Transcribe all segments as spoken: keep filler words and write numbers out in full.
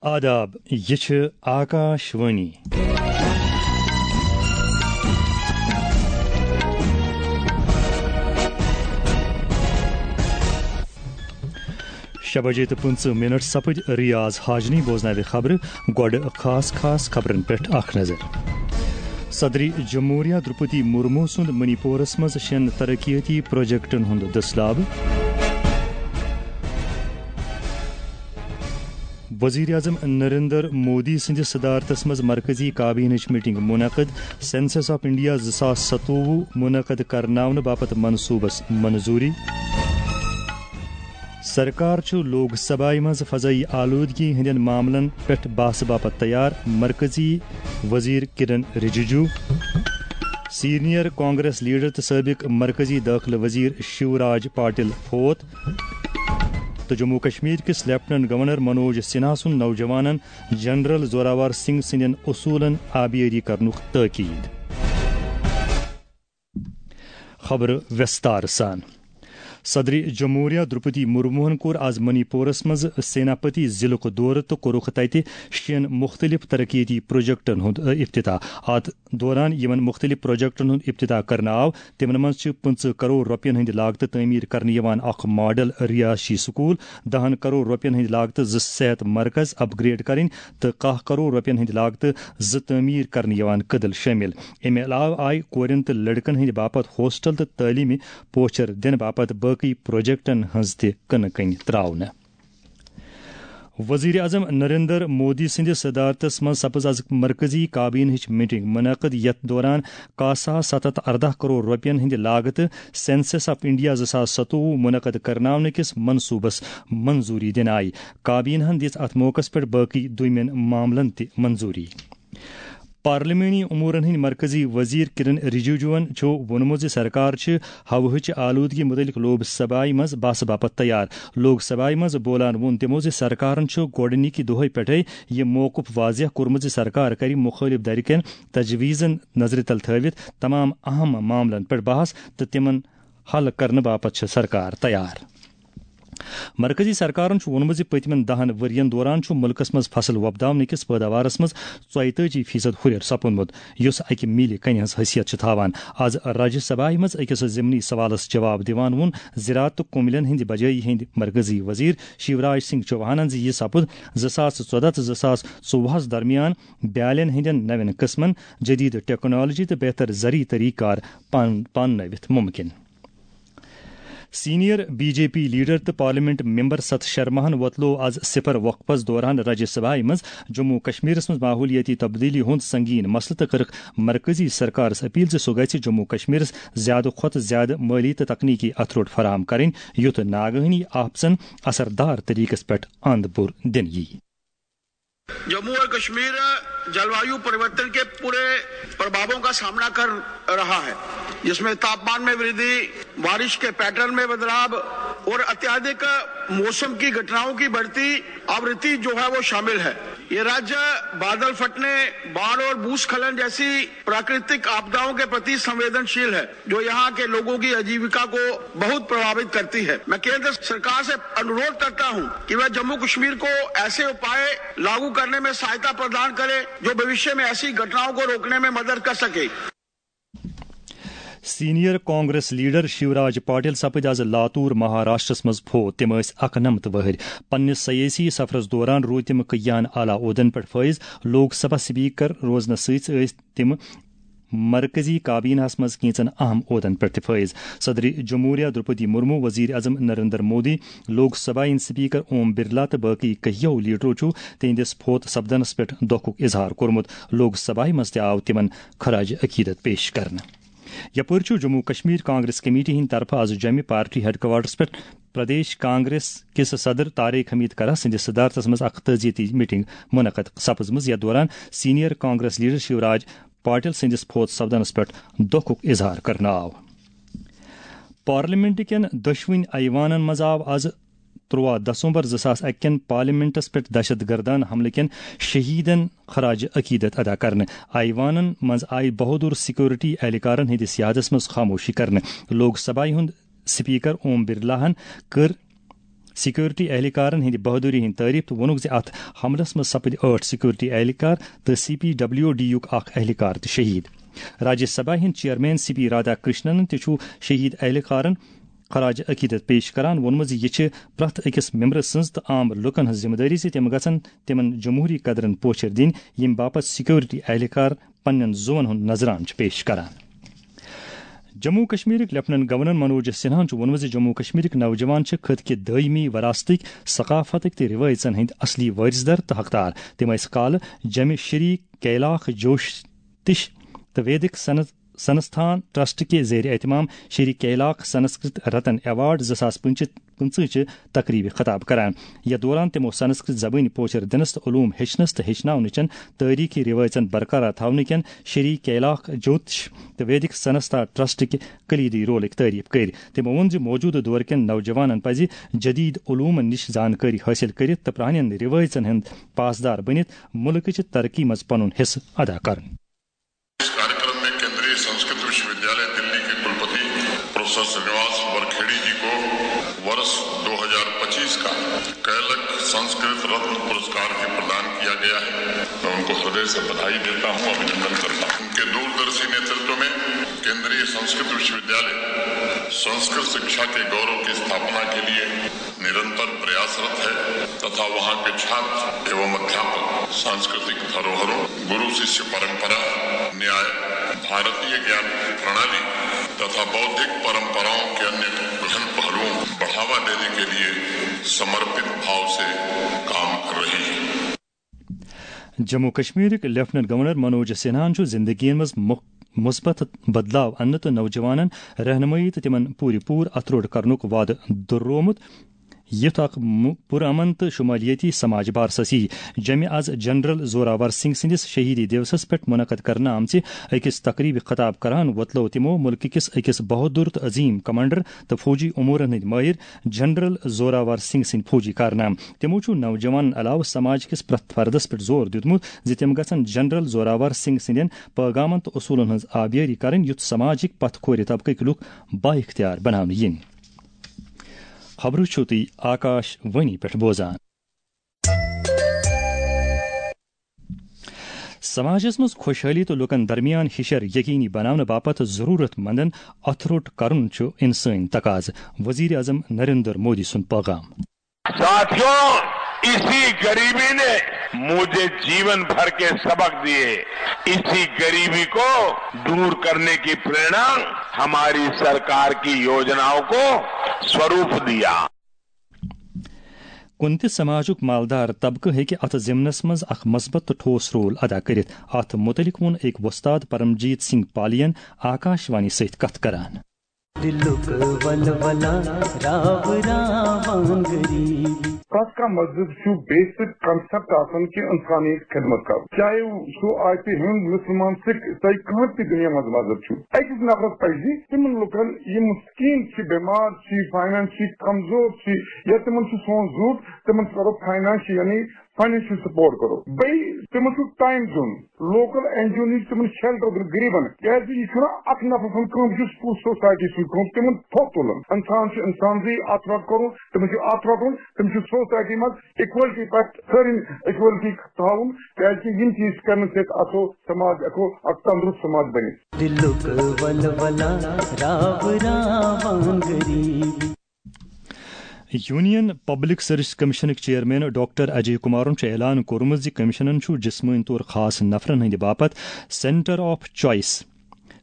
آداب، یہِ چھِ آکاش وانی۔ شےٚ بجے تہٕ پٕنٛژٕہ منٹ سپٕدۍ۔ ریاض حاجنی بوزناوِ خبرٕ۔ گۄڈٕ خاص خاص خبرن پٮ۪ٹھ اکھ نظر۔ صدری جمہوریہ درپتی مرمو سُنٛد منی پورس منٛز شٮ۪ن ترقیتی پروجیکٹن ہُنٛد دٔسلابہٕ۔ وزیر اعظم نریندر مودی سٕنٛدِس صدارتس منٛز مرکزی کابینٕچ میٹنگ منعقد۔ سینسس آف انڈیا زٕ ساس ستووُہ منعقد کرناونہٕ باپتھ منصوبس منظوری۔ سرکار چھُ لوک سبھایہِ منٛز فضائی آلودگی ہٕنٛدٮ۪ن معاملن پٮ۪ٹھ بحث باپتھ تیار، مرکزی وزیر کرن رجیجو۔ سینئر کانگریس لیڈر تہٕ سٲبق مرکزی دٲخلہٕ وزیر شیوراج پاٹل فوت۔ تہٕ جموں کشمیر کِس لیفٹیننٹ گورنر منوج سنہا سُنٛد نوجوانن جنرل زوراور سنگھ سٕنٛدٮ۪ن اصوٗلن آبیٲری کرنُک تٲکید۔ خبرٕ وِستار سان۔ صدر جمہوریہ درپتی مرموہن کوٚر آز منی پورس منٛز سیناپتی ضلعُک دورٕ تہٕ کوٚرُکھ تتہِ شٮ۪ن مُختٔلِف ترقیتی پروجیکٹن ہُنٛد افتتاح۔ اتھ دوران یِمن مُختٔلِف پروجیکٹن ہُنٛد افتتاح کرنہٕ آو، تِمن منٛز چھِ پٕنٛژٕہ کرور رۄپین ہٕنٛدِ لاگتہٕ تعمیٖر کرنہٕ یِوان اکھ ماڈل رہٲیشی سکوٗل، دَہن کرور رۄپین ہٕنٛدِ لاگتہٕ زٕ صحت مرکز اپ گریڈ کرٕنۍ تہٕ کاہ کرور رۄپین ہٕنٛدِ لاگتہٕ زٕ تعمیٖر کرنہٕ یِوان کدل شٲمِل۔ اَمہِ علاوٕ آیہِ کورٮ۪ن تہٕ لڑکن ہٕنٛدِ باپتھ ہاسٹل تہٕ تعلیٖمی پوچھر دِنہٕ باپتھ باقٕے پروجیکٹن ہٕنٛز تہِ کٕنہٕ کٔنۍ تراونہٕ۔ وزیر اعظم نریندر مودی سٕنٛدِس صدارتس منٛز سپٕز از مرکزی کابینہٕچ میٹنگ منعقد، یتھ دوران کاہ ساس ستھ ہتھ ارداہ کرور رۄپین ہٕنٛدِ لاگتہٕ سینسس آف انڈیا زٕ ساس ستووُہ منعقد کرناونہٕ کِس منصوبس منظوری دِنہٕ آیہِ۔ کابینہن دِژ اتھ موقعس پٮ۪ٹھ باقٕے دویمٮ۪ن معاملن تہِ منظوری۔ پارلیمانی امورن ہٕنٛدۍ مرکزی وزیر کرن رجیجوَن چھُ ووٚنمُت زِ سرکار چھِ ہوہٕچ آلودگی مُتعلق لوک سبھایہِ منٛز بحث باپتھ تیار۔ لوک سبھایہِ منٛز بولان ووٚن تِمو زِ سرکارن چھُ گۄڈٕنِکہِ دۄہٕے پٮ۪ٹھَے یہِ موقف واضح کوٚرمُت زِ سرکار کرِ مُخٲلِف دھرِ کٮ۪ن تجویزن نظرِ تل تھٲوِتھ تمام اہم معاملن پٮ۪ٹھ بحث تہٕ تِمن حل کرنہٕ باپتھ چھِ سرکار تیار۔ مرکزی سرکارن چھُ ووٚنمُت زِ پٔتمٮ۪ن دَہَن ؤرۍ یَن دوران چھُ مُلکَس منٛز فصل وۄپداونہٕ کِس پٲداوارَس منٛز ژۄیتٲجی فیصد ہُرٮ۪ر سپُدمُت، یُس اَکہِ میٖلہِ کَنہِ ہٕنٛز حیثیت چھُ تھاوان۔ آز راجیہ سبھایہِ منٛز أکِس ضمنی سوالَس جواب دِوان ووٚن زراعت تہٕ کوملَن ہٕنٛدِ بجٲیی ہٕنٛدۍ مرکزی وزیر شیوراج سنگھ چوہانَن زِ یہِ سپُد زٕ ساس ژۄداہ تہٕ زٕ ساس ژوٚوُہَس درمیان بیالٮ۪ن ہٕنٛدٮ۪ن نوٮ۪ن قٕسمَن، جدید ٹیکنالوجی تہٕ بہتر زرعی طریقہٕ کار پان-، پاننٲوِتھ مُمکِن۔ Senior B J P leader تہٕ پارلیمنٹ ممبر ستھ شرماہن وۄتلوو از صفر وقفس دوران راجیہ سبھایہ منٛز جموں و کشمیرس منٛز ماحولیٲتی تبدیلی ہُنٛد سنگین مسلہٕ تہٕ کٔرٕکھ مرکزی سرکارس اپیل زِ سُہ گژھِ جموں و کشمیرس زیادٕ کھۄتہٕ زیادٕ مٲلی تہٕ تکنیکی اَتھٕ روٚٹ فراہم کرٕنۍ، یُتھ ناگہٲنی آفژن اثر دار طریقس پٮ۪ٹھ اند بُر دِنہٕ یِیہِ۔ जम्मू और कश्मीर जलवायु परिवर्तन के पूरे प्रभावों का सामना कर रहा है, जिसमें तापमान में वृद्धि, बारिश के पैटर्न में बदलाव और अत्यधिक मौसम की घटनाओं की बढ़ती आवृत्ति जो है वो शामिल है। ये राज्य बादल फटने, बाढ़ और भूस्खलन जैसी प्राकृतिक आपदाओं के प्रति संवेदनशील है, जो यहाँ के लोगों की आजीविका को बहुत प्रभावित करती है। मैं केंद्र सरकार से अनुरोध करता हूँ कि वह जम्मू कश्मीर को ऐसे उपाय लागू करने में सहायता प्रदान करे, जो भविष्य में ऐसी घटनाओं को रोकने में मदद कर सके। سینئر کانگریس لیڈر شیوراج پاٹل سپٕدۍ از لاتور مہاراشٹرس منٛز فوت۔ تِم ٲسۍ اَکہٕ نَمَتھ وٕہٕرۍ۔ پننِس سیٲسی سفرس دوران روٗدۍ تِم کیان اعلیٰ عہدن پٮ۪ٹھ فٲیض۔ لوک سبھا سپیکر روزنس سۭتۍ ٲسۍ تِم مرکزی کابینہس منٛز کینٛژن اہم عہدن پٮ۪ٹھ تہِ فٲیض۔ صدر جمہوریہ درپدی مرمو، وزیر اعظم نریندر مودی، لوک سبھا ہٕنٛدۍ سپیکر اوم برلا تہٕ باقی کینٛہو لیڈرو چھُ تِہنٛدِس فوت سپدنس پٮ۪ٹھ دۄکھُک اظہار کوٚرمُت۔ لوک سبھایہ منٛز تہِ آو تِمن خراج عقیدت پیش کرنہٕ۔ یپٲرۍ چھُ جموں کشمیر کانگریس کمیٹی ہٕنٛدِ طرفہٕ از جوٚمہِ پارٹی ہیڈ کوارٹرس پٮ۪ٹھ پردیش کانگریس کِس صدر طارق حمید کرہ سٕنٛدِس صدارتس منٛز اکھ تعزیتی میٹنگ منعقد سپٕزمٕژ، یتھ دوران سینئر کانگریس لیڈر شیوراج پاٹل سٕنٛدِس فوت سپدنس پٮ۪ٹھ دۄکھُک اظہار کرنہٕ آو۔ پارلیمنٹ کٮ۪ن دۄشوٕنۍ ایوانن منٛز آو از تُرٛواہ دسمبر زٕ ساس اَکہِ کٮ۪ن پارلیمنٹس پٮ۪ٹھ دہشت گردانہ حملہٕ کٮ۪ن شہیدن خراج عقیدت ادا کرنہٕ۔ ایوانن منٛز آیہِ بہادر سیکورٹی اہلکارن ہٕنٛدِس یادس منٛز خاموشی کرنہٕ۔ لوک سبھایہ ہُنٛد سپیکر اوم برلاہن کٔر سیکورٹی اہلکارن ہٕنٛدِ بہادری ہٕنٛدۍ تعریف تہٕ ووٚنُکھ زِ اتھ حملس منٛز سپٕدۍ ٲٹھ سیکورٹی اہلکار تہٕ سی پی ڈبلیو ڈی یُک اکھ اہلکار تہِ شہید۔ راجیہ سبھا ہٕنٛدۍ chairman C P Radhakrishnan تہِ چھُ شہید اہلکارن خراج عقیدت پیش کران ووٚنمُت زِ یہِ چھِ پرٛٮ۪تھ أکِس ممبرٕ سٕنٛز تہٕ عام لوٗکن ہٕنٛز ذمہٕ دٲری زِ تِم گژھن تِمن جمہوری قدرن پوچھر دِنۍ، ییٚمہِ باپتھ سیکورٹی اہلکار پننٮ۪ن زُوَن ہُنٛد نذرانہٕ چھِ پیش کران۔ جموں کشمیرٕکۍ لیفٹیننٹ گورنر منوج سنہاہن چھُ ووٚنمُت زِ جموں کشمیرٕکۍ نوجوان چھِ خطہٕ کہِ دٲیمی وراثتٕکۍ، ثقافتٕکۍ تہٕ رِوٲیژن ہٕنٛدۍ اصلی وٲرث در تہٕ حقدار۔ تِم ٲسۍ کالہٕ جمع شری کیلاکھ جوتش تہٕ ویدک سنس-، سنستھان ٹرسٹ کہِ زیر اہتمام شری کیلاکھ سنسکرت رتن ایوارڈ زٕ ساس پٕنٛژٕہ چہِ تقریبہِ خطاب کران۔ یتھ دوران تِمو سنسکرت زبٲنۍ پوچھر دِنس تہٕ علوم ہیٚچھنس تہٕ ہیٚچھناونہٕ چٮ۪ن تٲریخی رِوٲیژن برقرار تھاونہٕ کٮ۪ن شری کیلاکھ جوتش تہٕ ویدک سنستھا ٹرسٹ کہِ کلیدی رولٕکۍ تعریف کٔرۍ۔ تِمو ووٚن زِ موجودٕ دور کٮ۪ن نوجوانن پزِ جدید علومن نِش زانکٲری حٲصِل کٔرِتھ تہٕ پرٛانٮ۪ن رِوٲیژن ہٕنٛدۍ پاسدار بٔنِتھ مُلکٕچہِ ترقی منٛز پنُن حصہٕ ادا کرُن۔ इस कार्यक्रम में केंद्रीय संस्कृत विश्वविद्यालय दिल्ली के कुलपति प्रोफेसर श्रीनिवास वरखेड़ी जी को वर्ष दो हज़ार पच्चीस का कैलक संस्कृत रत्न पुरस्कार भी प्रदान किया गया है। मैं उनको हृदय से बधाई देता हूं, अभिनंदन करता हूं। उनके दूरदर्शी नेतृत्व में केंद्रीय संस्कृत विश्वविद्यालय संस्कृत शिक्षा के गौरव की स्थापना के लिए निरंतर प्रयासरत है तथा वहां के छात्र एवं अध्यापक सांस्कृतिक धरोहरों, गुरु शिष्य परंपरा, न्याय, भारतीय ज्ञान प्रणाली तथा बौद्धिक परंपराओं के अन्य गहन पहलुओं को बढ़ावा देने के लिए समर्पित भाव से काम कर रही है। جموں کشمیرٕکۍ لیفٹیننٹ گورنر منوج سنہاہن چھُ زندگی منٛز مُخ-، مثبت بدلاو اننہٕ تہٕ نوجوانن رہنمٲیی تہٕ تِمن پوٗرٕ پوٗرٕ اتھٕ روٚٹ کرنُک وعدٕ دۄہرومُت، یُتھ اکھ مُ-، پُرامن تہٕ شمالیٲتی سماج بارسس یی۔ جمعہ از جنرل زوراور سنگھ سٕنٛدِس شہیدی دیوسس پٮ۪ٹھ منعقد کرنہٕ آمژِ أکِس تقریبہِ خطاب کران وۄتلٲو تِمو مُلکہٕ کِس أکِس بہادُر تہٕ عظیٖم کمانڈر تہٕ فوجی امورن ہٕنٛدۍ مٲہِر جنرل زوراور سنگھ سٕنٛدۍ فوجی کارنامہٕ۔ تِمو چھُ نوجوانن علاوٕ سماج کِس پرٛٮ۪تھ فردس پٮ۪ٹھ زور دیُتمُت زِ تِم گژھن جنرل زوراور سنگھ سٕنٛدٮ۪ن پٲغامن تہٕ اصوٗلن ہٕنٛز آبیٲری کرٕنۍ، یُتھ سماجٕکۍ پتھ کھورِ طبقٕکۍ لُکھ بااختیار بناونہٕ یِن۔ خبرٕ چھِو تُہۍ آکاش وانی پٮ۪ٹھ بوزان۔ سماجس منٛز خۄشحٲلی تہٕ لوٗکن درمیان ہِشر یقینی بناونہٕ باپتھ ضروٗرت مندن اتھٕ روٚٹ کرُن چھُ انسٲنی تقاضہٕ، وزیر اعظم نریندر مودی سُنٛد پیغام۔ ساتھیوں، इसी गरीबी ने मुझे जीवन भर के सबक दिए। इसी गरीबी को दूर करने की प्रेरणा हमारी सरकार की योजनाओं को स्वरूप दिया। کُنہِ تہِ سماجُک مالدار طبقہٕ ہیٚکہِ اتھ ضمنس منٛز اکھ مثبت تہٕ ٹھوس رول ادا کٔرِتھ۔ اتھ مُتعلق ووٚن أکۍ وۄستاد پرمجیت سنگھ پالین آکاش وانی سۭتۍ کتھ کران۔ دِلُک ولولہ راو راوان غریٖب۔ پرٛٮ۪تھ کانٛہہ مذہب چھُ بیسک کنسپٹ آسان کہِ انسانیت خدمت کرُن، چاہے سُہ آسہِ ہیوٚنٛد، مسلمان، سکھ، تۄہہِ کانٛہہ تہِ دُنیا منٛز مذہب چھُ۔ أکِس نفرس پزِ تِمن لوٗکن یِم مسکیٖن چھِ، بٮ۪مار چھِ، فاینانشلی کمزور چھِ، یا تِمن چھُ سون ضروٗرت، تِمن کرو فاینانشل، یعنی فاینانشل سپورٹ کرو۔ بیٚیہِ تِمن چھُ ٹایم دیُن، لوکل این جی او نِش تِمن شیلٹر دیُن غریٖبن، کیازِ یہِ چھُنہٕ اکھ نفر سٕنٛز کٲم، یہِ چھُ پوٗرٕ سوسایٹی سٕنٛز کٲم، تِمن تھوٚد تُلُن۔ انسان چھُ انسانزٕے، اتھ رٹ کرُن، تٔمِس چھُ اتھ رٹُن، تٔمِس چھُ سوسایٹی منٛز اِکوَلٹی پٮ۪ٹھ سٲرِن اِکوَلٹی تھاوُن، کیازِ یِم چیٖز کرنہٕ سۭتۍ آسو سماج، ہٮ۪کو اکھ تندرست سماج بٔنِتھ۔ دِلُک ولولہ راو راوان غریٖب۔ یونین پبلک سروس کمیشنٕکۍ چیئرمین ڈاکٹر اجے کمارن چھُ اعلان کوٚرمُت زِ کمیشنن چھُ جسمٲنی طور خاص نفرن ہٕنٛدِ باپتھ سینٹر آف چوائس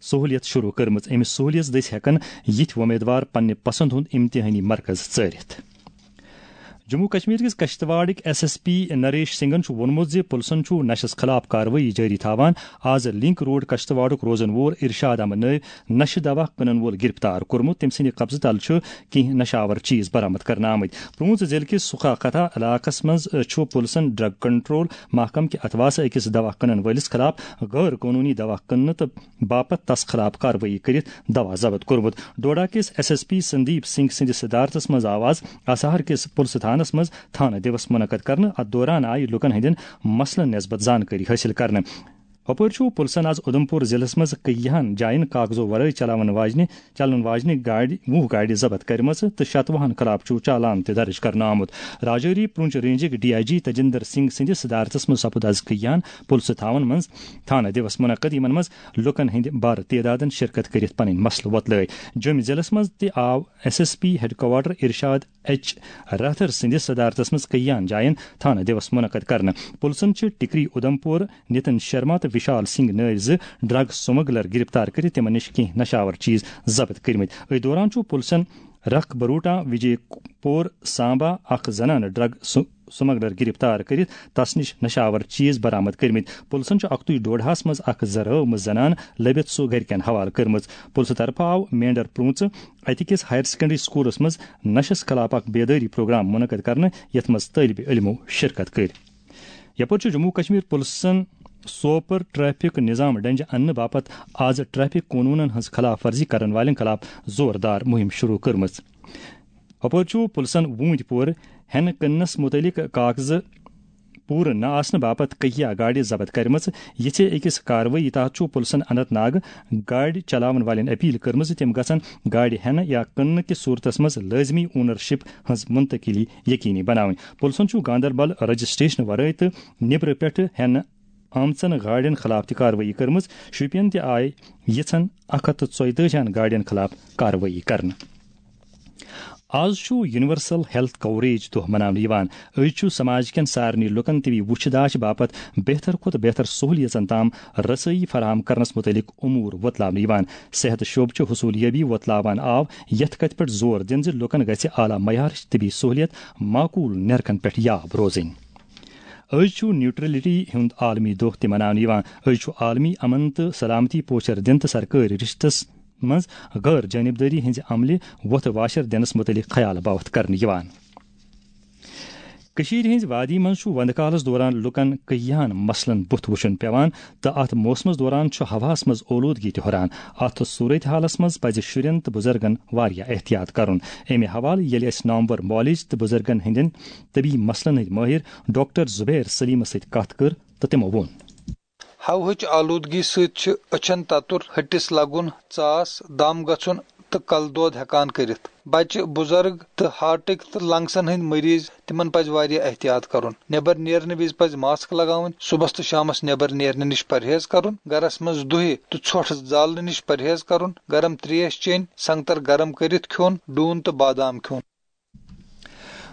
سہولیت شروع کٔرمٕژ۔ أمِس سہولیژ دٔسۍ ہٮ۪کن یِتھۍ وۄمیدوار پننہِ پسند ہُنٛد امتحٲنی مرکز ژٲرِتھ۔ جموں کشمیر کِس کشتواڑٕکۍ ایس ایس پی نریش سنگھن چھُ ووٚنمُت زِ پُلسن چھُ نشس خلاف کاروٲیی جٲری تھاوان۔ آز لنک روڈ کشتواڑُک روزن وول ارشاد احمد نٲوۍ نشہٕ دوا کٕنن وول گرفتار کوٚرمُت۔ تٔمۍ سٕنٛدِ قبضہٕ تل چھُ کینٛہہ نشہٕ آور چیز برآمد کرنہٕ آمٕتۍ۔ پرونز ضلعہٕ کِس سُکھا کتھا علاقس منٛز، آ، چھُ پُلسن ڈرگ کنٹرول محکمہٕ کہِ اتھواسہٕ أکِس دوا کٕنن وٲلِس خلاف غٲر قونوٗنی دوا کٕننہٕ تہٕ باپتھ تس خلاف کاروٲیی کٔرِتھ دوا ضبط کوٚرمُت۔ ڈوڈا کِس S S P Sandeep Singh سٕنٛدِس صدارتس منٛز آو آز اسہر کِس پُلسہٕ تھانس منٛز تھانہٕ دِوس منعقد کرنہٕ۔ اتھ دوران آیہِ لوٗکن ہٕنٛدٮ۪ن مسلن نسبت زانکٲری حٲصِل کرنہٕ۔ ہُپٲرۍ چھُ پُلسن آز اُدھمپور ضلعس منٛز کیاہن جاین کاغذو ورٲے چلاون واجنہِ، چلن واجنہِ گاڑِ، وُہ گاڑِ ضبط کٔرمٕژ تہٕ شتوُہن خلاف چھُ چالان تہِ درج کرنہٕ آمُت۔ راجوری پونچھ رینجٕکۍ ڈی آئی جی تجندر سنگھ سٕنٛدِس صدارتس منٛز سپُد آز کیاہن پُلسہٕ تھاون منٛز تھانہٕ دِوس منعقد، یِمن منٛز لوٗکن ہٕنٛدِ بارٕ تعدادن شرکت کٔرِتھ پنٕنۍ مسلہٕ وۄتلٲوۍ۔ جوٚمہِ ضلعس منٛز تہِ آو S S P headquarter Irshad H Rather سٕنٛدِس صدارتس منٛز کیاہن جاین تھانہٕ دِوس منعقد کرنہٕ۔ پُلسن چھِ ٹکری اُدھمپور، نتن شرما تہٕ وشال سنگھ نٲوۍ زٕ ڈرگ سمگلر گرفتار کٔرِتھ تِمن نِش کینٛہہ نشاور چیز ضبط کٔرمٕتۍ۔ أتھۍ دوران چھُ پُلسن رکھ بروٹا، وجے پور سامبا اکھ زنانہٕ ڈرگ س-، سمگلر گرفتار کٔرِتھ تس نِش نشاور چیز برآمد کٔرمٕتۍ۔ پُلسن چھُ اکتُے ڈوڈہس منٛز اکھ زٕ رٲومٕژ زنان لٔبِتھ سُہ گرِکٮ۪ن حوالہٕ کٔرمٕژ۔ پُلسہٕ طرفہٕ آو مینڈر پرونژھ اتہِ کِس ہایر سیکنڈری سکولس منٛز نشس خلاف اکھ بیدٲری پروگرام منعقد کرنہٕ، یتھ منٛز طٲلبِ علمو شرکت کٔر۔ یپٲرۍ چھُ جموں کشمیر پُلسن سوپور ٹریفک نظام ڈنجہِ اننہٕ باپتھ آز ٹریفک قونوٗنن ہٕنٛز خلاف ورزی کرن والٮ۪ن خلاف زوردار مُہِم شروع کٔرمٕژ۔ اپٲرۍ چھُ پُلسن ووٗنٛتۍ پورٕ ہٮ۪نہٕ کٕننس مُتعلق کاغذٕ پوٗرٕ نہٕ آسنہٕ باپتھ کہیا گاڑِ ضبط کرِمٕژ۔ یِژھے أکِس کاروٲیی تحت چھُ پُلسن اننت ناگ گاڑِ چلاون والٮ۪ن اپیل کٔرمٕژ زِ تِم گژھن گاڑِ ہٮ۪نہٕ یا کٕننہٕ کِس صورتس منٛز لٲزمی اونرشپ ہٕنٛز منتقلی یقینی بناوٕنۍ۔ پُلسن چھُ گاندربل رجسٹریشن ورٲے تہٕ نیبرٕ پٮ۪ٹھٕ ہٮ۪نہٕ آمژن گاڑٮ۪ن خلاف تہِ کاروٲیی کٔرمٕژ۔ شوپین تہِ آیہِ یِژھن اکھ ہتھ تہٕ ژۄیتٲجی ہن گاڑٮ۪ن خلاف کاروٲیی کرنہٕ۔ آز چھُ یونیورسل ہیلتھ کوریج دۄہ مناونہٕ یِوان۔ أزۍ چھُ سماج کٮ۪ن سارنٕے لوٗکن طبی وُچھ داچھ باپتھ بہتر کھۄتہٕ بہتر سہولیژن تام رسٲیی فراہم کرنس مُتعلق امور وۄتلاونہٕ یِوان۔ صحت شعبہٕ چھُ حصوٗلیٲبی وۄتلاوان آو یتھ کتھِ پٮ۪ٹھ زور دِنہٕ زِ لوٗکن گژھِ اعلیٰ معیارٕچ طبی سہولیت معقول نرخن پٮ۪ٹھ یاب روزٕنۍ۔ أزۍ چھُ نیوٹرلٹی ہُنٛد عالمی دۄہ تہِ مناونہٕ یِوان۔ أزۍ چھُ عالمی امن تہٕ سلامتی پوچھر دِنہٕ تہٕ سرکٲرۍ رشتس منٛز غٲر جانبدٲری ہٕنٛزِ عملہِ وۄتھٕ واشر دِنس مُتعلق خیال باوتھ کرنہٕ یِوان۔ کٔشیٖرِ ہٕنٛزِ وادی منٛز چھُ وندٕ کالس دوران لوٗکن کیاہن مسلن بُتھ وُچھُن پٮ۪وان تہٕ اتھ موسمس دوران چھُ ہوہس منٛز اولوٗدگی تہِ ہُران۔ اتھ صورتحالس منٛز پزِ شُرٮ۪ن تہٕ بُزرگن واریاہ احتیاط کرُن۔ امہِ حوالہٕ ییٚلہِ اسہِ نامور معالج تہٕ بُزرگن ہٕنٛدٮ۪ن طبی مسلن ہٕنٛدۍ مٲہِر ڈاکٹر زبیر سلیمس سۭتۍ کتھ کٔر تہٕ تِمو ووٚن۔ ہوہٕچ آلودگی سۭتۍ چھِ أچھن تتُر، ۂٹِس لگُن، ژاس، دم گژھُن تہٕ کلہٕ دود ہٮ۪کان کٔرِتھ۔ بچہِ، بُزرگ تہٕ ہارٹٕکۍ تہٕ لنگسن ہٕنٛدۍ مریض، تِمن پزِ واریاہ احتیاط کرُن۔ نٮ۪بر نیرنہٕ وِزِ پزِ ماسک لگاوٕنۍ، صُبحس تہٕ شامس نٮ۪بر نیرنہٕ نِش پرہیز کرُن، گرس منٛز دُہہِ تہٕ ژھۄٹھ زالنہٕ نِش پرہیز کرُن، گرم تریش چیٚنۍ، سنگتر گرم کٔرِتھ کھیوٚن، ڈوٗن تہٕ بادام کھیوٚن۔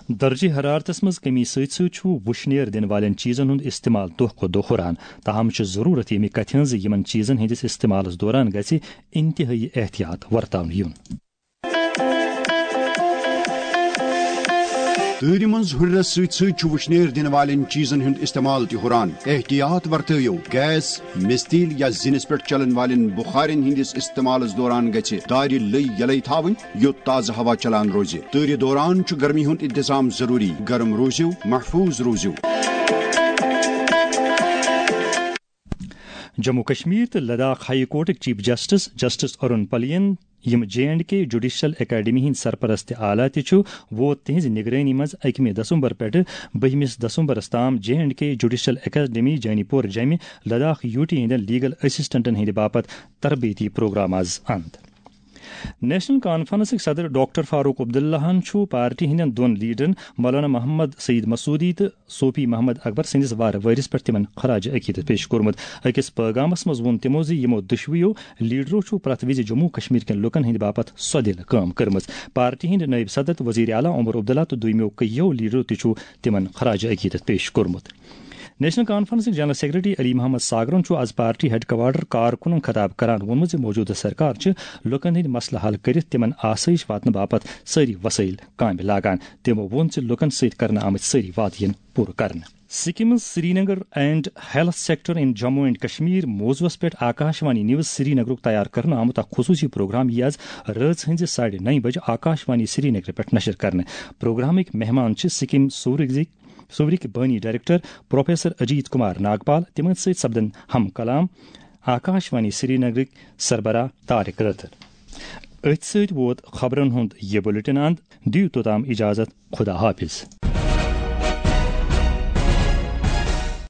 درجہ حرارتس منٛز کمی سۭتۍ سۭتۍ چھُ وُشنیر دِنہٕ والٮ۪ن چیزن ہُنٛد استعمال دۄہ کھۄتہٕ دۄہ ہُران۔ تاہم چھِ ضروٗرت ییٚمہِ کتھِ ہٕنٛز زِ یِمن چیزن ہٕنٛدِس استعمالس دوران گژھِ انتہٲئی احتیاط ورتاونہٕ یُن۔ تۭرِ منٛز ہُرنس سۭتۍ سۭتۍ چھُ وُشنیر دِنہٕ والٮ۪ن چیزن ہُنٛد استعمال تہِ ہُران۔ احتیاط ورتٲیِو۔ گیس، مِستیٖل یا زِنِس پٮ۪ٹھ چلن والٮ۪ن بُخارٮ۪ن ہٕنٛدِس استعمالس دوران گژھِ دارِ لٔے یلے تھاوٕنۍ، یوٚت تازٕ ہوا چلان روزِ۔ تۭرِ دوران چھُ گرمی ہُنٛد انتظام ضروٗری۔ گرم روٗزِو، محفوٗظ روٗزِو۔ جموں کشمیر تہٕ لداخ ہائی کورٹٕکۍ چیف جسٹس، جسٹس ارون پلین، یِم J and K judicial academy ہٕنٛدۍ سرپرست تہٕ اعلیٰ تہِ چھُ، ووت تِہنٛزِ نگرٲنی منٛز اَکہِ دسمبر پٮ۪ٹھٕ بٔہمِس دسمبرس تام J and K judicial academy جانی پور جمہِ لداخ یوٗ ٹی ہٕنٛدٮ۪ن لیگل اسسٹنٹن ہٕنٛدِ باپتھ تربیتی پروگرام آز اند۔ نیشنل کانفرنسٕکۍ صدر ڈاکٹر فاروق عبداللہَن چھُ پارٹی ہٕنٛدٮ۪ن دۄن لیڈرن مولانا محمد سعید مسعودی تہٕ صوفی محمد اکبر سٕنٛدِس وارٕ وٲرِس پٮ۪ٹھ تِمن خراج عقیدت پیش کوٚرمُت۔ أکِس پٲغامس منٛز ووٚن تِمو زِ یِمو دۄشوٕیو لیڈرو چھُ پرٛٮ۪تھ وِزِ جموں کشمیر کٮ۪ن لوٗکن ہٕنٛدِ باپتھ سۄدِل کٲم کٔرمٕژ۔ پارٹی ہٕنٛدۍ نٲیِب صدر تہٕ وزیر اعلیٰ عمر عبداللہ تہٕ دوٚیمٮ۪و کٔہیو لیڈرو تہِ چھُ تِمن خراج عقیدت پیش کوٚرمُت۔ نیشنل کانفرنسٕکۍ جنرل سیکرٹری علی محمد ساگرن چھُ از پارٹی ہیڈ کوارٹر کارکنن خطاب کران ووٚنمُت زِ موجودٕ سرکار چھِ لوٗکن ہٕنٛدۍ مسلہٕ حل کٔرِتھ تِمن آسٲیِش واتنہٕ باپتھ سٲری وسٲیِل کامہِ لاگان۔ تِمو ووٚن زِ لوٗکن سۭتۍ کرنہٕ آمٕتۍ سٲری وعدٕ یِن پوٗرٕ کرنہٕ۔ SKIMS Srinagar and health sector in Jammu and Kashmir موضوعس پٮ۪ٹھ آکاشوانی نیوز سرینگرُک تیار کرنہٕ آمُت اکھ خصوٗصی پروگرام یِیہِ از رٲژ ہٕنٛزِ ساڑِ نَیہِ بجہِ آکاشوانی سرینگرٕ پٮ۪ٹھ نشر کرنہٕ۔ پروگرامٕکۍ مہمان چھِ سکم سورگزٕکۍ سورٕکۍ بٲنی ڈائریکٹر پروفیسر اجیت کمار ناگپال، تِمن سۭتۍ سپدن ہم کلام آکاشوانی سرینگرٕکۍ سربراہ طارق رٲتھر۔ أتھۍ سۭتۍ ووت خبرن ہُنٛد یہِ بلیٹن اند۔ دِیِو توٚتام اجازت، خدا حافظ۔